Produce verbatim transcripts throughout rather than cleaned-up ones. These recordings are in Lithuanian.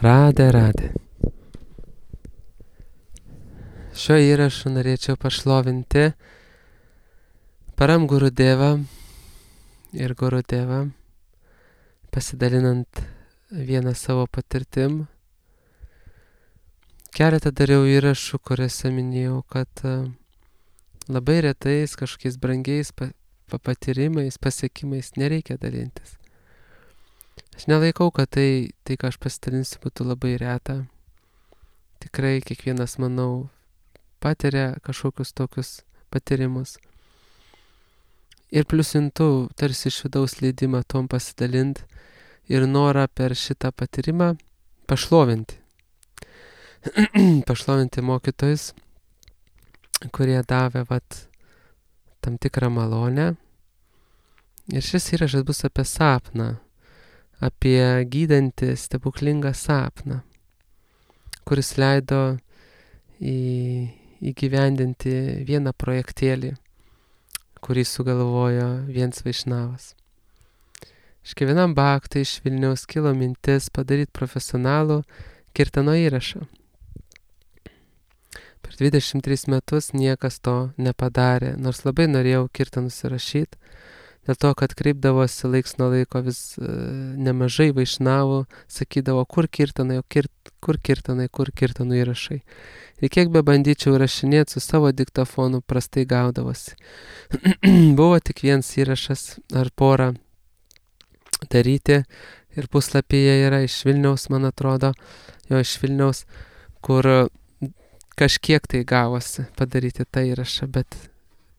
Radė, radė. Šiuo įrašu norėčiau pašlovinti Param Gurudevą ir Gurudevą, pasidalinant vieną savo patirtim. Keletą dariau įrašų, kuriuose minėjau, kad labai retais kažkokiais brangiais pa- patyrimais, pasiekimais nereikia dalintis. Aš nelaikau, kad tai, tai ką aš pasidalinsiu, būtų labai reta. Tikrai kiekvienas, manau, patiria kažkokius tokius patyrimus. Ir pliusintų tarsi iš vidaus leidimą tom pasidalint ir norą per šitą patyrimą pašlovinti. pašlovinti mokytojus, kurie davė vat, tam tikrą malonę. Ir šis įrašas bus apie sapną, apie gydantį stebuklingą sapną, kuris leido į, įgyvendinti vieną projektėlį, kurį sugalvojo vienas vaišnavas. Iš kiekvienam bhaktai iš Vilniaus kilo mintis padaryti profesionalų kirtano įrašą. Per dvidešimt tris metus niekas to nepadarė, nors labai norėjau kirtanus įrašyti, dėl to, kad kreipdavosi laiks nuo laiko vis e, nemažai vaišnavų, sakydavo, kur kirtanai, kirt, kur kirtanai, kur kirtanų įrašai. Ir kiek be bandyčiau rašinėti su savo diktofonu, prastai gaudavosi. Buvo tik vienas įrašas ar porą daryti ir puslapyje yra iš Vilniaus, man atrodo, jo iš Vilniaus, kur kažkiek tai gavosi padaryti tą įrašą, bet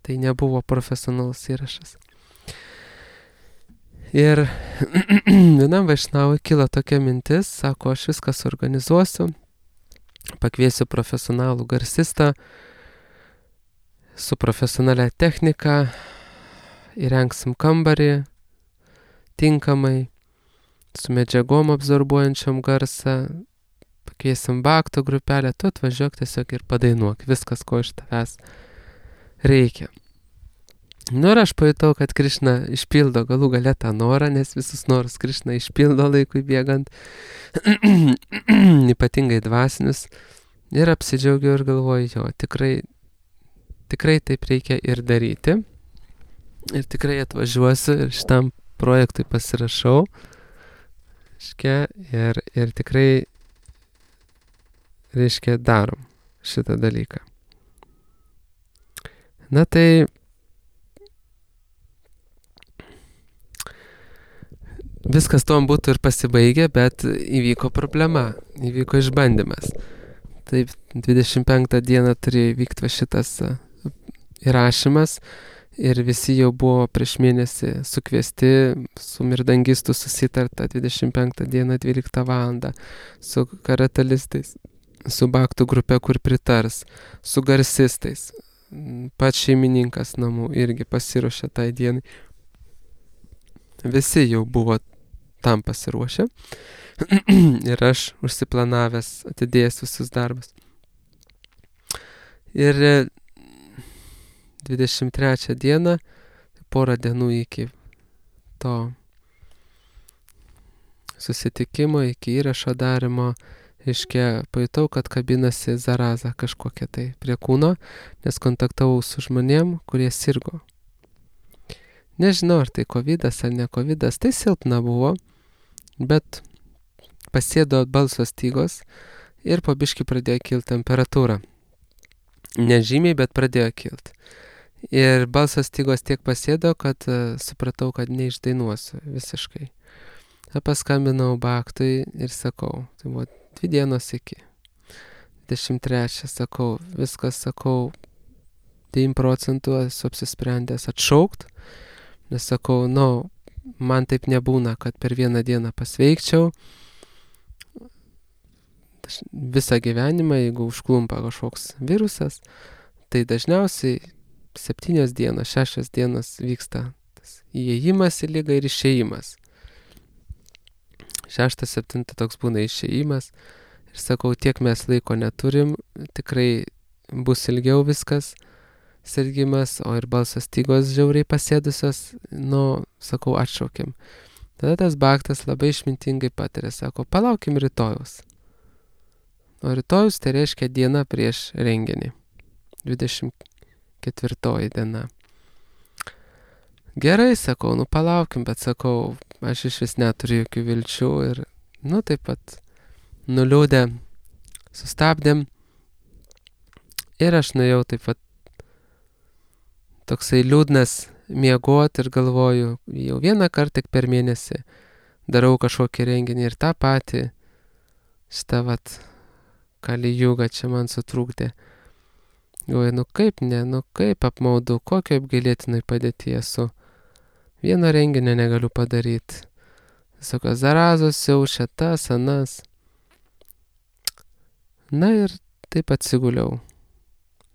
tai nebuvo profesionalus įrašas. Ir vienam vaišnavui kilo tokia mintis, sako, aš viską suorganizuosiu, pakviesiu profesionalų garsistą su profesionalia technika, įrengsim kambarį tinkamai, su medžiagom absorbuojančiom garsą, pakviesim bhaktų grupelę, tu atvažiuok tiesiog ir padainuok viskas, ko iš tavęs reikia. Nu ir aš pajutau, kad Krišna išpildo galų gale tą norą, nes visus norus Krišna išpildo laikui bėgant, ypatingai dvasinius. Ir apsidžiaugiau ir galvoju, jo, tikrai, tikrai taip reikia ir daryti. Ir tikrai atvažiuosiu ir šitam projektui pasirašau. Reiškia, ir, ir tikrai, reiškia, darom šitą dalyką. Na tai viskas tom būtų ir pasibaigę, bet įvyko problema, įvyko išbandymas. Taip, dvidešimt penktą dieną turėjo vykti šitas įrašymas ir visi jau buvo prieš mėnesį sukviesti, su mirdangistu susitarta dvidešimt penktą dieną dvyliktą valandą, su karatalistais, su bhaktų grupe, kur pritars, su garsistais. Pats šeimininkas namų irgi pasiruošė tai dienai. Visi jau buvo tam pasiruošę ir aš užsiplanavęs atidėjęs visus darbus. Ir dvidešimt trečią dieną, porą dienų iki to susitikimo, iki įrašo darimo, reiškia, pajutau, kad kabinasi zaraza kažkokia tai prie kūno, nes kontaktavau su žmonėm, kurie sirgo. Nežinau, ar tai kovidas ar ne kovidas, tai silpna buvo, bet pasėdo balso stygos ir po biškį pradėjo kilti temperatūra. Nežymiai, bet pradėjo kilti. Ir balso stygos tiek pasėdo, kad uh, supratau, kad neišdainuosiu visiškai. Paskambinau bhaktui ir sakau, tai buvo dvi dienos iki. dvidešimt trečią sakau, viskas sakau, devyniasdešimt procentų esu apsisprendęs atšaukt. Nes sakau, nu, man taip nebūna, kad per vieną dieną pasveikčiau. Visą gyvenimą, jeigu užklumpa kažkoks virusas, tai dažniausiai septynios dienos, šešios dienos vyksta tas įėjimas į ligą ir išėjimas. Šeštą, septintą toks būna išėjimas. Ir sakau, tiek mes laiko neturim, tikrai bus ilgiau viskas. Sirgimas, o ir balso stygos žiauriai pasėdusios, nu, sakau, atšaukiam. Tada tas bhaktas labai išmintingai patarė, sako, palaukim rytojaus. O rytojus tai reiškia diena prieš renginį. dvidešimt ketvirtoji diena. Gerai, sakau, nu palaukim, bet sakau, aš iš vis neturiu jokių vilčių ir, nu taip pat nuliūdę sustabdėm ir aš nuėjau taip pat toksai liūdnas miegot ir galvoju, jau vieną kartą tik per mėnesį darau kažkokį renginį ir tą patį šitą vat kalijugą čia man sutrūkdė. Galvoju, nu kaip ne, nu kaip apmaudu, kokio apgailėtinai padėtyje esu. Vieno renginio negaliu padaryti. Visokios zarazos siaučia, tas, anas. Na ir taip atsiguliau.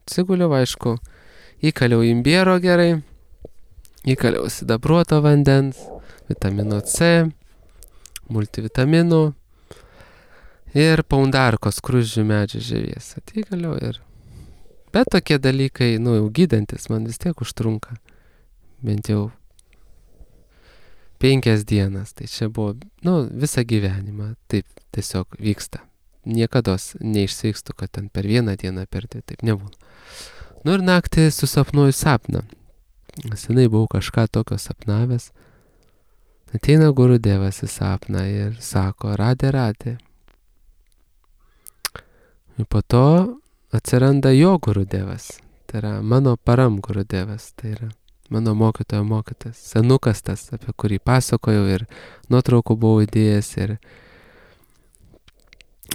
Atsiguliau, aišku, įkaliau imbiero gerai, įkaliau sidabruoto vandens, vitamino C, multivitaminų ir paundarkos skruzdžių medžių žievės. Atikaliau ir... Bet tokie dalykai, nu jau gydantis, man vis tiek užtrunka. Bent jau penkias dienas. Tai čia buvo, nu, visą gyvenimą taip tiesiog vyksta. Niekados neišsveikstu, kad ten per vieną dieną per tai taip nebūna. Nu ir naktį susapnuoju sapną. Senai buvau kažką tokio sapnavęs. Ateina Gurudevas į sapną ir sako, radė, radė. Ir po to atsiranda jo Gurudevas. Tai yra mano param Gurudevas. Tai yra mano mokytojo mokytas. Senukas tas, apie kurį pasakojau ir nuotraukų buvau įdėjęs ir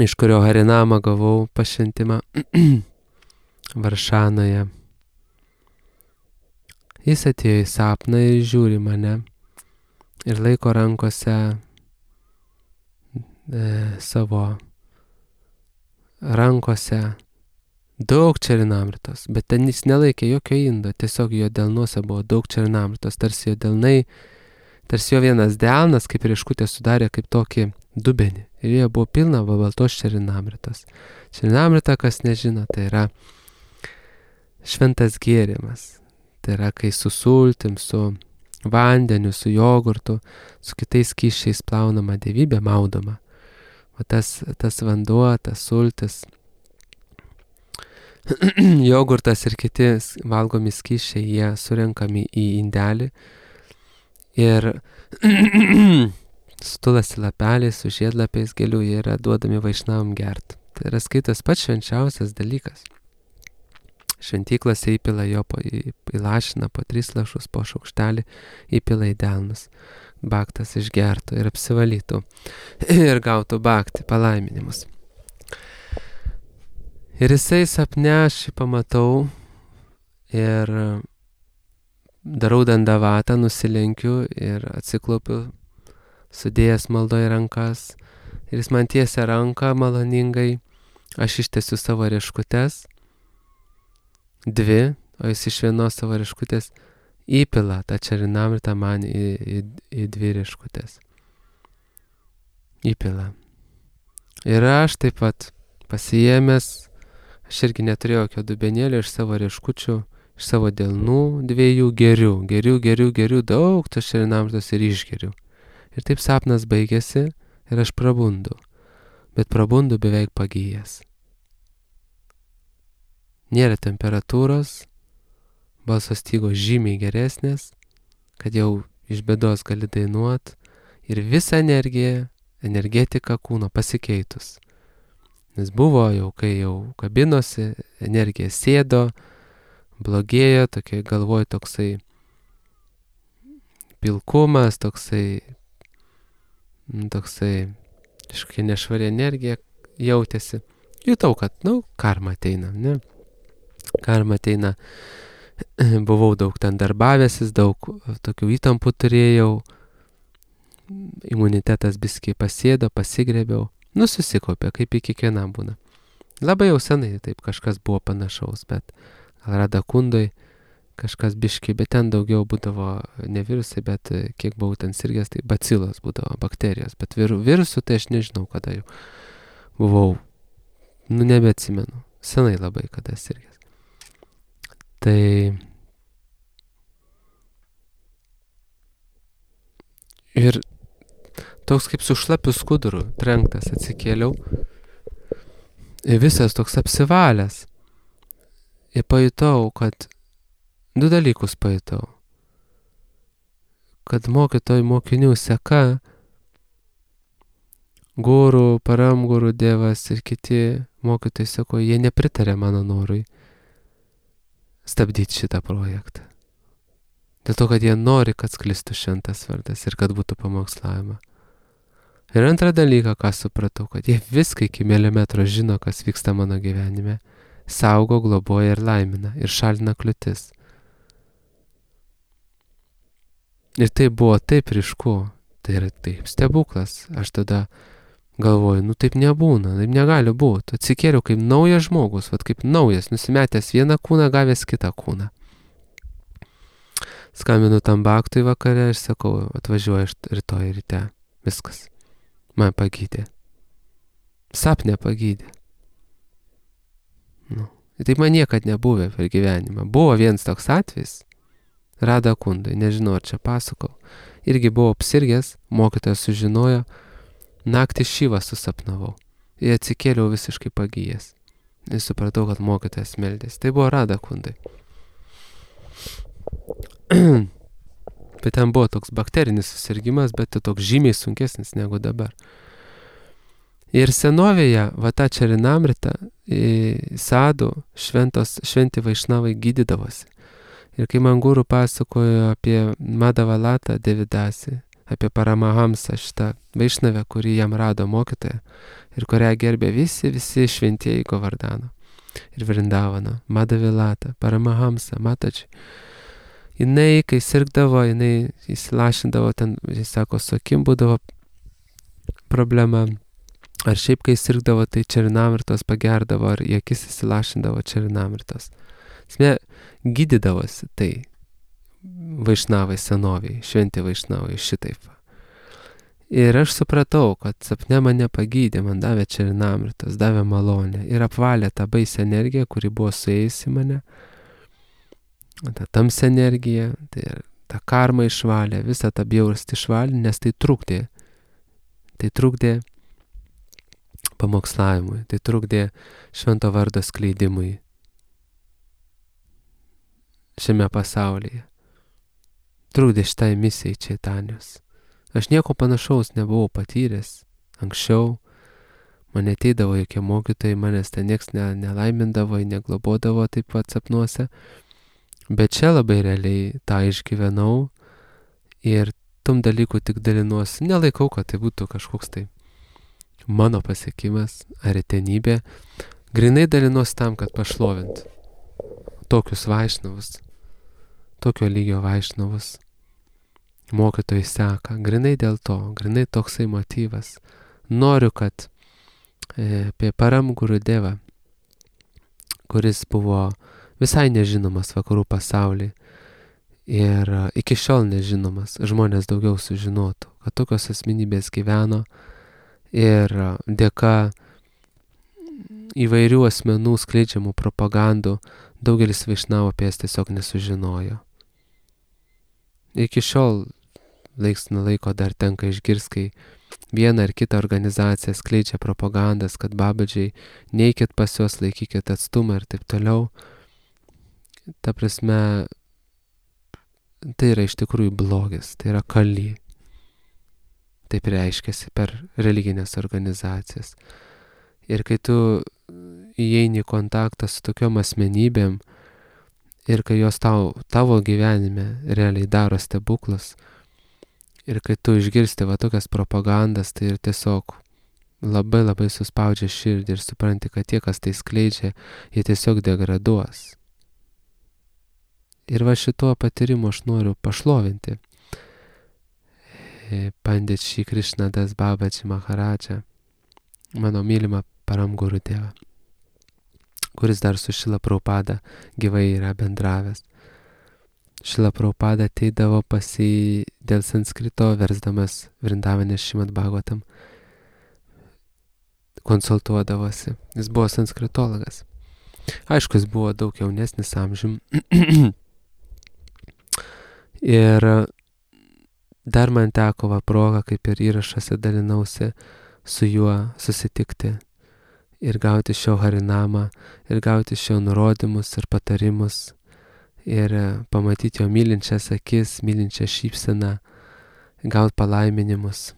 iš kurio Harinamą gavau pašventimą Varšanoje. Jis atėjo į sapną ir žiūri mane ir laiko rankose e, savo rankose daug čerinamritos, bet ten jis nelaikė jokio indo, tiesiog jo delnuose buvo daug čerinamritos, tarsi jo delnai, tarsi jo vienas delnas, kaip rieškutė sudarė kaip tokį dubenį. Ir jie buvo pilna baltos čerinamritos. Čerinamrita, kas nežino, tai yra šventas gėrimas. Tai yra, kai su sultim, su vandeniu, su jogurtu, su kitais skysčiais plaunama dievybė, maudoma. O tas, tas vanduo, tas sultis, jogurtas ir kiti valgomi skysčiai, jie surenkami į indelį ir stulasi lapeliais su žiedlapiais gėlių, jie yra duodami vaišnavam gert. Tai yra skaitas pats švenčiausias dalykas. Šventyklose įpila jo, po, įlašina po tris lašus, po šaukštelį įpila į delnus. Baktas išgertų ir apsivalytų ir gautų baktį, palaiminimus. Ir jisai sapne aš jį pamatau ir darau dandavatą, nusilenkiu ir atsiklaupiu, sudėjęs maldoje rankas. Ir jis man tiesia ranką maloningai, aš ištesiu savo rieškutes, dvi, o jis iš vienos savo rieškutės įpila tą čerinamritą man į, į, į dvi rieškutės. Įpila. Ir aš taip pat pasiėmęs, aš irgi neturėjau jokio dubenėlio iš savo rieškučių, iš savo delnų dviejų geriu, geriu, geriu, geriu, daug tos čerinamritos ir išgeriu. Ir taip sapnas baigėsi ir aš prabundu, bet prabundu beveik pagijęs. Nėra temperatūros, balso stygos žymiai geresnės, kad jau iš bėdos gali dainuot ir visa energija, energetika kūno pasikeitus. Nes buvo jau, kai jau kabinosi, energija sėdo, blogėjo, tokia galvoj toksai pilkumas, toksai, toksai kažkokia nešvari energija jautėsi. Jutau, kad, nu, karma ateina, ne? Karma ateina. Buvau daug ten darbavęsis, daug tokių įtampų turėjau, imunitetas biskiai pasėdo, pasigrėbiau, nu susikopė, kaip į kiekvienam būna. Labai jau senai taip kažkas buvo panašaus, bet gal Radakundoj kažkas biški, bet ten daugiau būdavo ne virusai, bet kiek buvau ten sirgęs, tai bacilos būdavo, bakterijos, bet vir, virusų tai aš nežinau, kada jau buvau, nu nebeatsimenu, senai labai kada sirgęs. Tai ir toks kaip su šlapiu skuduru trenktas atsikėliau Ir visas toks apsivalęs. Ir pajutau, kad du dalykus pajutau. Kad mokytojų mokinių seka, gurų, paramgurų dievas ir kiti mokytojai sako, jie nepritarė mano norui stabdyti šitą projektą. Dėl to, kad jie nori, kad sklistų šventas vardas ir kad būtų pamokslavima. Ir antrą dalyką, ką supratau, kad jie viską iki milimetro žino, kas vyksta mano gyvenime. Saugo, globoja ir laimina ir šalina kliūtis. Ir tai buvo taip ryšku, tai yra taip stebuklas. Aš tada galvoju, nu taip nebūna, taip negali būti. Atsikėliau kaip naujas žmogus, vat kaip naujas, nusimetęs vieną kūną, gavęs kitą kūną. Skambinu tam baktui vakare ir sakau, atvažiuoju aš rytoj ryte. Viskas. Man pagydė. Sapne pagydė. Nu. Taip man niekad nebuvę per gyvenimą. Buvo vienas toks atvejis. Rada kundai, nežinau ar čia pasakau. Irgi buvau apsirgęs, mokytojas sužinojo, naktį šyvą susapnavau. Ir atsikėliau visiškai pagyjęs. Ir supratau, kad mokytojas meldės. Tai buvo Rada kundai. Bet ten buvo toks bakterinis susirgimas, bet tai toks žymiai sunkesnis negu dabar. Ir senovėje, va tą Čarinamritą, sadų, šventos, šventi vaišnavai gydydavosi. Ir kai man guru pasakojo apie Madhavalatą Devidasi, apie Paramahamsą šitą vaišnavę, kurį jam rado mokytoją ir kurią gerbė visi, visi šventieji Govardhano ir Vrindavano, Madhavilata, Paramahamsa, Mataji. Jinai, kai sirgdavo, jinai įsilašindavo ten, jis sako, su akim būdavo problema. Ar šiaip, kai sirgdavo, tai Čarinamritos pagerdavo, ar į akis įsilašindavo Čarinamritos. Esmė, gydydavosi tai vaišnavai senoviai, šventi vaišnavai šitaip. Ir aš supratau, kad sapne mane pagydė, man davė Čarinamritos, davė malonę ir apvalė tą baisę energiją, kuri buvo suėjusi mane. Ta tamsi energija, tai ta karma išvalė, visą tą bjaurastį išvalė, nes tai trukdė. Tai trukdė pamokslavimui, tai trukdė švento vardo skleidimui šiame pasaulyje. Trukdė šitai misijai Čaitanijos. Aš nieko panašaus nebuvau patyręs anksčiau. Man ateidavo jokie mokytojai, manęs ten nieks ne, nelaimindavo, neglobodavo taip pat sapnuose. Bet čia labai realiai tą išgyvenau ir tom dalykų tik dalinuosi. Nelaikau, kad tai būtų kažkoks tai mano pasiekimas ar retenybė. Grinai dalinuosi tam, kad pašlovint tokius vaišnavus, tokio lygio vaišnavus. Mokytojai seka. Grinai dėl to, grinai toksai motyvas. Noriu, kad e, apie Paramguru Devą, kuris buvo visai nežinomas vakarų pasaulyje ir iki šiol nežinomas, žmonės daugiau sužinotų, kad tokios asmenybės gyveno ir dėka įvairių asmenų skleidžiamų propagandų daugelis vaišnavų apie jas tiesiog nesužinojo. Iki šiol laiks nuo laiko dar tenka išgirsti, kai viena ar kita organizacija skleidžia propagandas, kad babadžiai neikit pas juos, laikykit atstumą ir taip toliau. Ta prasme, tai yra iš tikrųjų blogis, tai yra kali. Taip reiškiasi per religinės organizacijas. Ir kai tu įeini į kontaktą su tokiom asmenybėm ir kai jos tau, tavo gyvenime realiai daro stebuklus ir kai tu išgirsti va tokias propagandas, tai ir tiesiog labai labai suspaudžia širdį ir supranti, kad tie, kas tai skleidžia, jie tiesiog degraduos. Ir va šituo patyrimu aš noriu pašlovinti Pandit Šri Krishnadas Babaji Maharadžą, mano mylimą Paramguru Devą, kuris dar su Šrila Prabhupada gyvai yra bendravęs. Šrila Prabhupada ateidavo pas jį dėl sanskrito, versdamas Vrindavane Šrimad Bhagavatam, konsultuodavosi. Jis buvo sanskritologas. Aišku, jis buvo daug jaunesnis amžium. Ir dar man teko va proga, kaip ir įrašuose dalinausi, su juo susitikti ir gauti iš jo harinamą, ir gauti iš jo nurodymus ir patarimus, ir pamatyti jo mylinčias akis, mylinčią šypseną, gauti palaiminimus.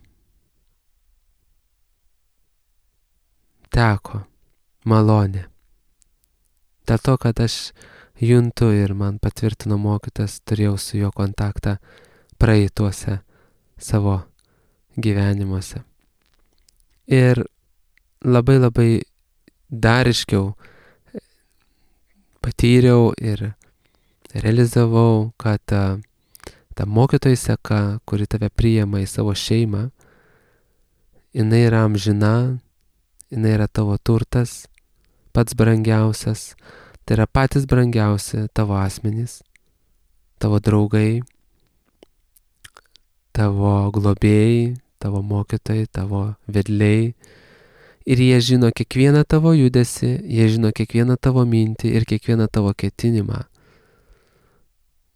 Teko malonė. Dėl to, kad aš juntu ir man patvirtino mokytas, turėjau su juo kontaktą praeituose savo gyvenimuose. Ir labai labai dariškiau patyriau ir realizavau, kad ta, ta mokytojų seka, kuri tave priima į savo šeimą, jinai yra amžina, jinai yra tavo turtas, pats brangiausias, tai yra patys brangiausi tavo asmenys, tavo draugai, tavo globėjai, tavo mokytojai, tavo vedliai. Ir jie žino kiekvieną tavo judesį, jie žino kiekvieną tavo mintį ir kiekvieną tavo ketinimą.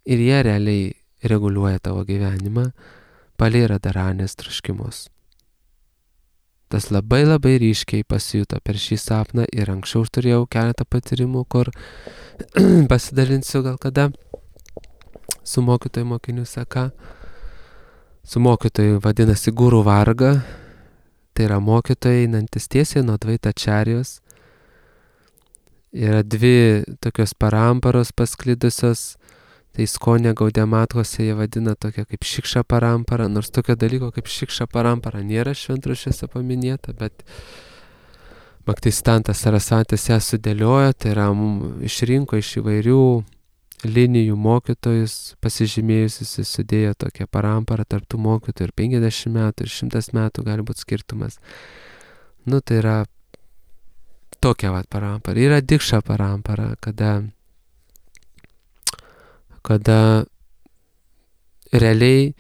Ir jie realiai reguliuoja tavo gyvenimą, palei radaranės troškimus. Tas labai labai ryškiai pasijuto per šį sapną ir anksčiau aš turėjau keletą patyrimų, kur pasidalinsiu gal kada su mokytojų mokinių seka. Su mokytojų vadinasi Guru Varga, tai yra mokytojai einantis tiesiai nuo Dvaitačarijos. Yra dvi tokios paramparos pasklidusios, tai Iskonė Gaudiamatkose jie vadina tokia kaip Šikša parampara, nors tokio dalyko kaip Šikša parampara nėra šventraščiuose paminėta, bet Bhaktisiddhanta Sarasvatis ją sudėliojo, tai yra išrinko iš įvairių linijų mokytojus, pasižymėjusius, sudėjo tokią paramparą tarp tų mokytojų ir penkiasdešimt metų, ir šimtas metų gali būti skirtumas. Nu, tai yra tokia vat parampara. Yra Dikša parampara, kada kada realiai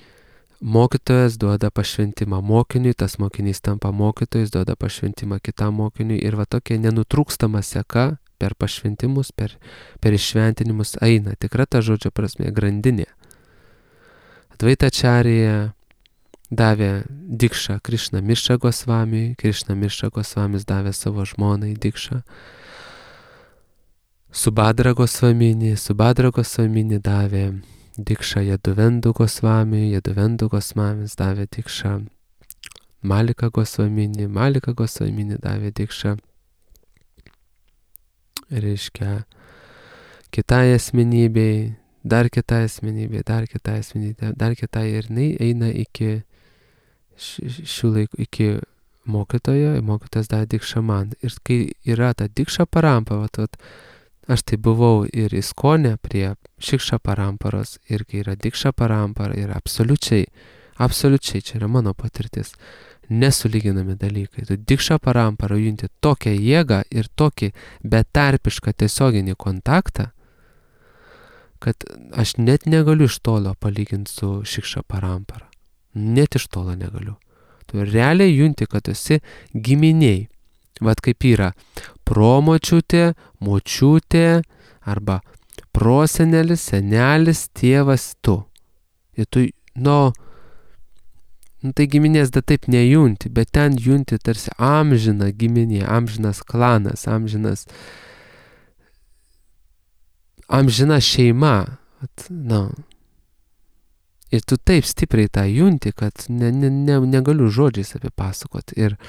mokytojas duoda pašventimą mokiniui, tas mokinys tampa mokytojais, duoda pašventimą kitam mokiniui ir va tokia nenutrūkstama seka per pašventimus, per, per iššventinimus eina, tikra ta žodžio prasme, grandinė. Dvaitačarija davė Dikšą Krišna Mišra Gosvamiui, Krišna Mišra Gosvamis davė savo žmonai Dikšą. Subhadra Gosvaminį, Subhadra Gosvaminį davė Dikšą Jaduvendu Gosvamiui, Jaduvendu Gosvamis davė Dikšą Malika Gosvaminį, Malika Gosvaminį davė Dikšą, reiškia, kitai asmenybei, dar kitai asmenybei, dar kitai asmenybei, dar kitai ir jinai eina iki šių laikų, iki mokytojo, mokytojas davė Dikšą man. Ir kai yra ta Dikša parampa, vat, vat, aš tai buvau ir Iskonė prie Šikša paramparos, ir kai yra Dikša parampara, yra absoliučiai, absoliučiai, čia yra mano patirtis, nesulyginami dalykai. Tu Dikša parampara junti tokią jėgą ir tokį betarpišką tiesioginį kontaktą, kad aš net negaliu iš tolo palyginti su Šikša parampara. Net iš tolo negaliu. Tu realiai junti, kad esi giminiai. Vat kaip yra promočiutė, močiutė arba prosenelis, senelis, tėvas, tu. Ir tu, nu, nu, tai giminės da taip nejunti, bet ten junti tarsi amžina giminė, amžinas klanas, amžinas, amžina šeima. Vat, nu. Ir tu taip stipriai tą junti, kad ne, ne, ne, negaliu žodžiais apipasakoti. Ir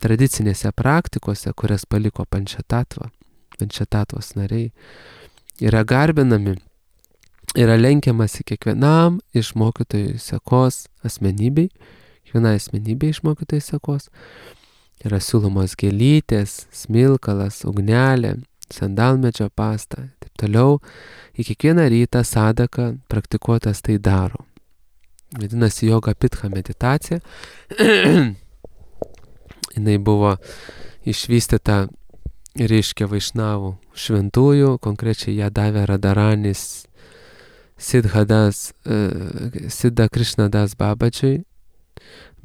tradicinėse praktikose, kurias paliko Pančatatva, Pančatatvos nariai, yra garbinami, yra lenkiamasi kiekvienam iš mokytojų sekos asmenybei, kiekvienai asmenybei iš mokytojų sekos, yra siūlomos gėlytės, smilkalas, ugnelė, sandalmedžio pasta, taip toliau, į kiekvieną rytą sadaka praktikuotas tai daro. Vadinasi Yoga Pitcha meditacija. Jinai buvo išvystyta, reiškia, vaišnavų šventųjų, konkrečiai ją davė Radharanis Siddhadas, Siddha Krishnadas Babadžiui,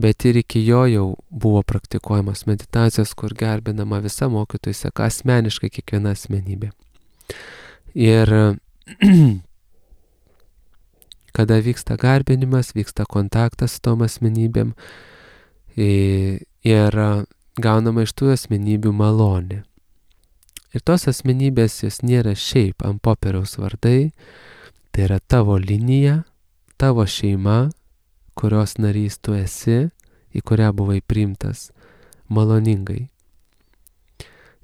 bet ir iki jo jau buvo praktikuojamos meditacijos, kur garbinama visa mokytojų seka, asmeniškai kiekviena asmenybė. Ir kada vyksta garbinimas, vyksta kontaktas su tom asmenybėm, ir gaunama iš tų asmenybių malonė. Ir tos asmenybės jos nėra šiaip ant popieriaus vardai, tai yra tavo linija, tavo šeima, kurios narys tu esi, į kurią buvai priimtas maloningai.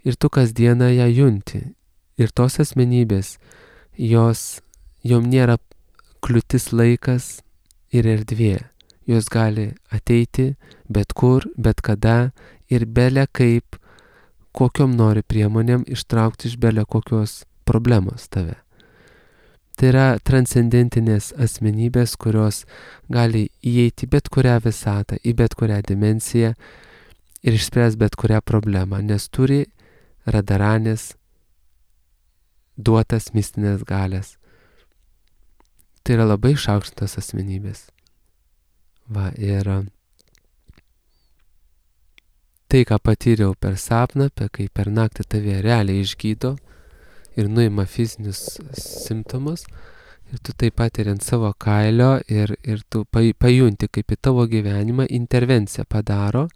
Ir tu kasdieną ją junti. Ir tos asmenybės, jos, jom nėra kliūtis laikas ir erdvė. Jos gali ateiti bet kur, bet kada ir bele kaip, kokiom nori priemonėm ištraukti iš bele kokios problemos tave. Tai yra transcendentinės asmenybės, kurios gali įeiti bet kurią visatą, į bet kurią dimensiją ir išspręs bet kurią problemą, nes turi radaranės duotas mistinės galės. Tai yra labai išaukštintos asmenybės. Va, ir tai, ką patyriau per sapną, apie kai per naktį tave realiai išgydo ir nuima fizinius simptomus, ir tu taip pat ir ant savo kailio, ir, ir tu pajunti, kaip į tavo gyvenimą intervenciją padaro,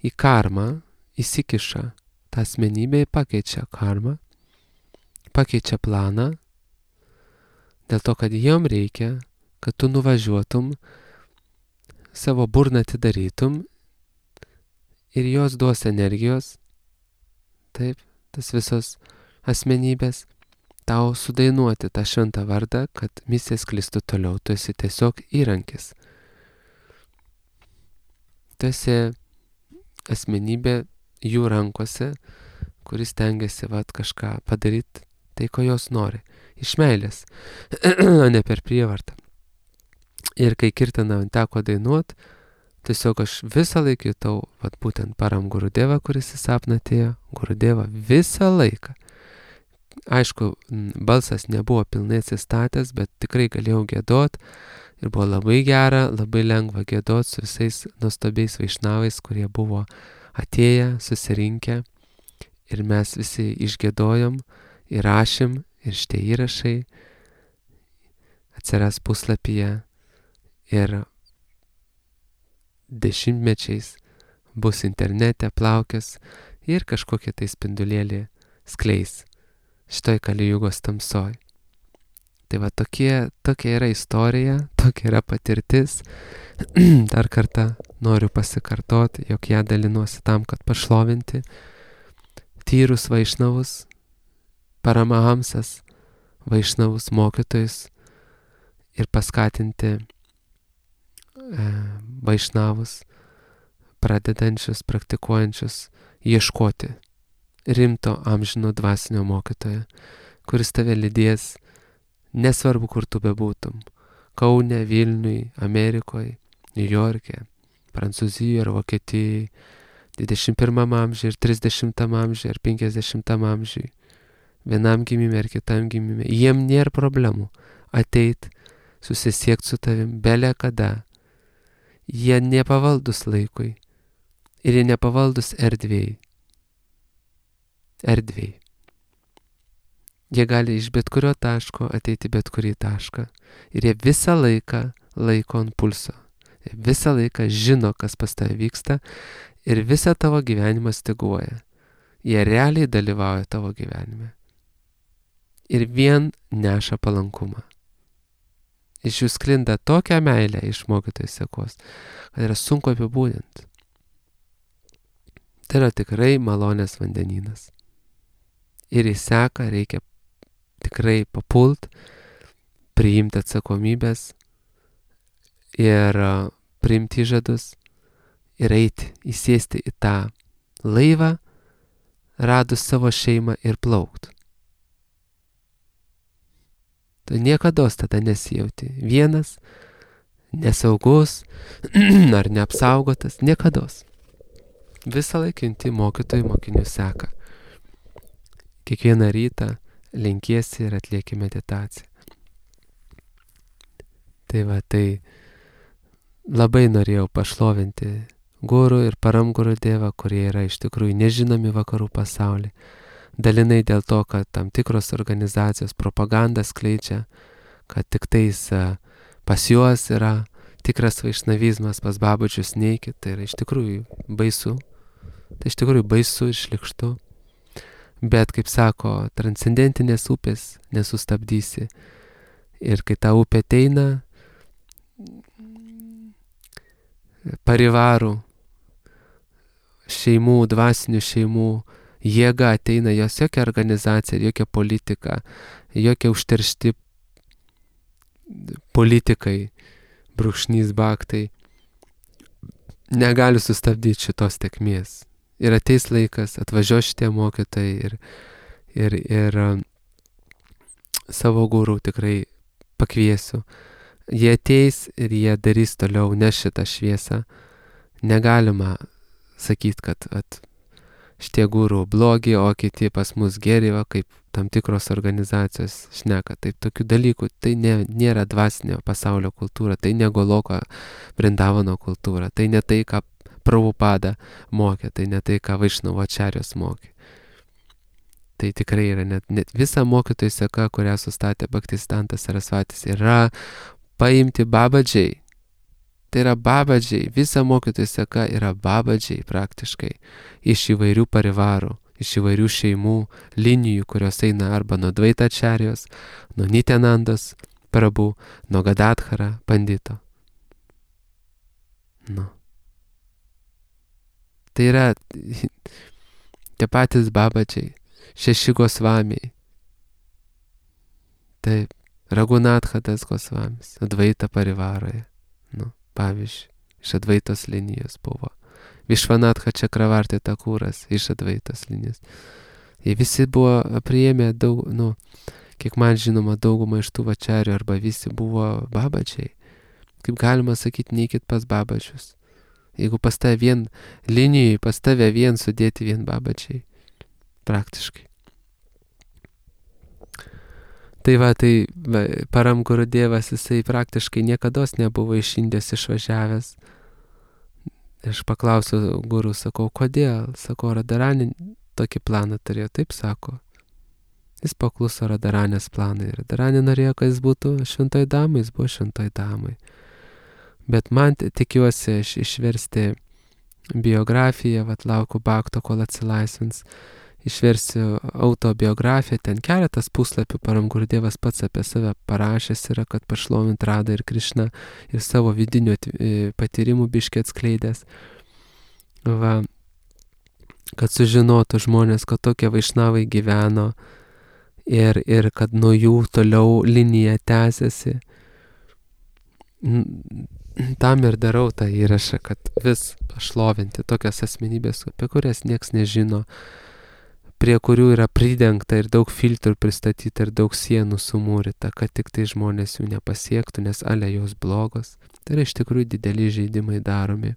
į karmą įsikiša, ta asmenybė pakeičia karmą, pakeičia planą, dėl to, kad jom reikia, kad tu nuvažiuotum, savo burną atidarytum ir jos duos energijos, taip, tas visos asmenybės, tau sudainuoti tą šventą vardą, kad misija sklistų toliau. Tu esi tiesiog įrankis. Tu esi asmenybė jų rankose, kuris tengiasi vat, kažką padaryti, tai ko jos nori. Iš meilės, ne per prievartą. Ir kai kirtaną teko dainuot, tiesiog aš visą laiką jutau, vat būtent param Gurudevą, kuris į sapną atėjo, Gurudevą visą laiką. Aišku, balsas nebuvo pilnai atsistatęs, bet tikrai galėjau giedot ir buvo labai gera, labai lengva giedot su visais nuostabiais vaišnavais, kurie buvo atėję, susirinkę ir mes visi išgiedojom, įrašėm ir šitie įrašai atsiras puslapyje ir dešimtmečiais bus internete plaukęs ir kažkokie tai spindulėlį skleis šitoj Kalijugos tamsoj. Tai va tokie, tokia yra istorija, tokia yra patirtis. Dar kartą noriu pasikartoti, jog ją dalinuosi tam, kad pašlovinti tyrus vaišnavus, paramahamsas vaišnavus mokytojus ir paskatinti e, vaišnavus, pradedančius, praktikuojančius, ieškoti rimto amžino dvasinio mokytojo, kuris tave lydės, nesvarbu, kur tu bebūtum. Kaune, Vilniui, Amerikoje, Niujorke, Prancūzijoje ar Vokietijoje, dvidešimt pirmam amžiuje ir trisdešimtam amžiuje ir penkiasdešimtam amžiuje, vienam gimime ir kitam gimime. Jiem nėra problemų ateit, susisiekti su tavim bele kada. Jie nepavaldus laikui ir jie nepavaldus erdvėjai. Erdvėjai. Jie gali iš bet kurio taško ateiti bet kurį tašką. Ir jie visą laiką laiko ant pulso. Jie visą laiką žino, kas pas tave vyksta ir visą tavo gyvenimą styguoja. Jie realiai dalyvauja tavo gyvenime. Ir vien neša palankumą. Iš jų sklinda tokią meilę iš mokytojų sekos, kad yra sunku apibūdinti. Tai yra tikrai malonės vandenynas. Ir į seką reikia tikrai papult, priimti atsakomybės ir priimti žadus ir eiti, įsėsti į tą laivą, radus savo šeimą ir plaukt. Tu niekados tada nesijauti vienas, nesaugus ar neapsaugotas, niekados. Visą laiką junti mokytojų mokinių seką. Kiekvieną rytą lenkiesi ir atlieki meditaciją. Tai va, tai labai norėjau pašlovinti guru ir param Gurudevą, kurie yra iš tikrųjų nežinomi vakarų pasaulyje. Dalinai dėl to, kad tam tikros organizacijos propagandą skleidžia, kad tik tais pas juos yra tikras vaišnavizmas, pas babučius neikit. Tai yra iš tikrųjų baisu. Tai iš tikrųjų baisu ir šlykštu. Bet, kaip sako, transcendentinės upės nesustabdysi. Ir kai ta upė ateina, parivarų, šeimų, dvasinių šeimų, jėga ateina, jos jokia organizacija, jokia politika, jokia užteršti politikai, brūkšnys baktai, negali sustabdyti šitos tekmės. Ir ateis laikas, atvažiuos šitie mokytojai ir, ir, ir savo gurų tikrai pakviesiu. Jie ateis ir jie darys toliau, neš šitą šviesą. Negalima sakyti, kad at, šitie gurų blogi, o kiti pas mus geri, va, kaip tam tikros organizacijos šneka. Taip, tokių dalykų, tai ne, nėra dvasinio pasaulio kultūra, tai ne Goloko Vrindavano kultūra, tai ne tai, ką Prabhupada mokė, tai ne tai, ką Vaišnavo Ačarijos mokė. Tai tikrai yra net, net visa mokytojų seka, kurią sustatė Bhaktisiddhanta Sarasvatis, yra paimti babadžiai. Tai yra babadžiai, visa mokytojų seka yra babadžiai praktiškai iš įvairių parivarų, iš įvairių šeimų, linijų, kurios eina arba nuo Dvaita Ačarijos, nuo Nityanandos Prabhu, nuo Gadadhara Pandito. Nu. Tai yra tie patys babadžiai, šeši Gosvamiai. Taip, Raghunathadas Gosvamis, Advaita parivaroje. Nu, pavyzdžiui, iš Advaitos linijos buvo. Višvanatha Čakravarti Takūras iš Advaitos linijos. Jie visi buvo priėmę daug, nu, kiek man žinoma, daugumą iš tų vačarių arba visi buvo babadžiai. Kaip galima sakyti, neikit pas babadžius. Jeigu pas tave vien linijai, pas tave vien sudėti vien babadžiai. Praktiškai. Tai va, tai va, Param Gurudevas, jisai praktiškai niekados nebuvo iš Indijos išvažiavęs. Aš paklausiau guru, sakau, kodėl? Sakau, Radharani tokį planą turėjo. Taip sako. Jis pakluso Radharanės planai. Radharani norėjo, kad jis būtų šventoj damai, jis buvo šventoj damai. Bet man tikiuosi aš išversti biografiją, vat laukiu Bhakto, kol atsilaisvins. Išversiu autobiografiją, ten keletas puslapių Param Gurudevas pats apie save parašęs yra, kad pašlovint Radą ir Krišną ir savo vidinių patyrimų biškį atskleidęs. Va, kad sužinotų žmonės, kad tokie vaišnavai gyveno ir, ir kad nuo jų toliau linija tęsiasi. Tam ir darau tą įrašą, kad vis pašlovinti tokias asmenybės, apie kurias nieks nežino, prie kurių yra pridengta ir daug filtrų pristatyta ir daug sienų sumūryta, kad tik tai žmonės jų nepasiektų, nes ale jos blogos. Tai yra iš tikrųjų dideli žaidimai daromi.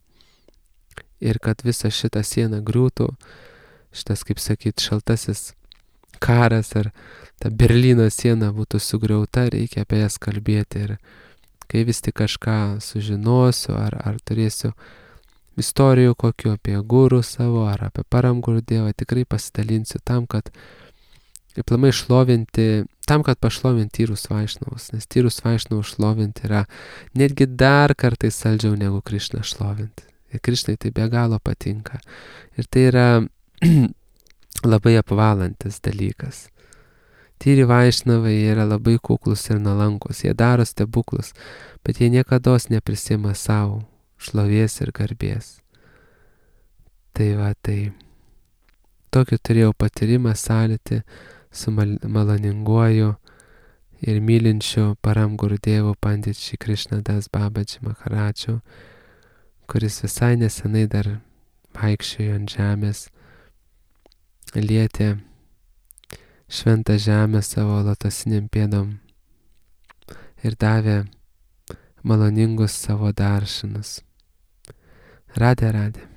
Ir kad visa šita siena griūtų, šitas, kaip sakyt, šaltasis karas ar ta Berlyno siena būtų sugriauta, reikia apie jas kalbėti. Ir kai vis tik kažką sužinosiu ar, ar turėsiu istorijų kokiu apie gurų savo ar apie Param Gurudevą, tikrai pasidalinsiu tam, kad aplamai šlovinti, tam, kad pašlovinti tyrus vaišnavus, nes tyrus vaišnavus šlovinti yra netgi dar kartais saldžiau negu Krišną šlovinti. Ir Krišnai tai be galo patinka. Ir tai yra labai apvalantis dalykas. Tyri vaišnavai yra labai kuklus ir nuolankus, jie daro stebuklus, bet jie niekados neprisima savo šlovės ir garbės. Tai va, tai tokį turėjau patyrimą sąlytį su mal maloninguoju ir mylinčiu Param Gurudevu Pandit Šri Krishnadas Babaji Maharadžu, kuris visai nesenai dar vaikščiojo ant žemės, lietė šventą žemę savo lotosiniam pėdom ir davė maloningus savo daršinus. Radhe Radhe.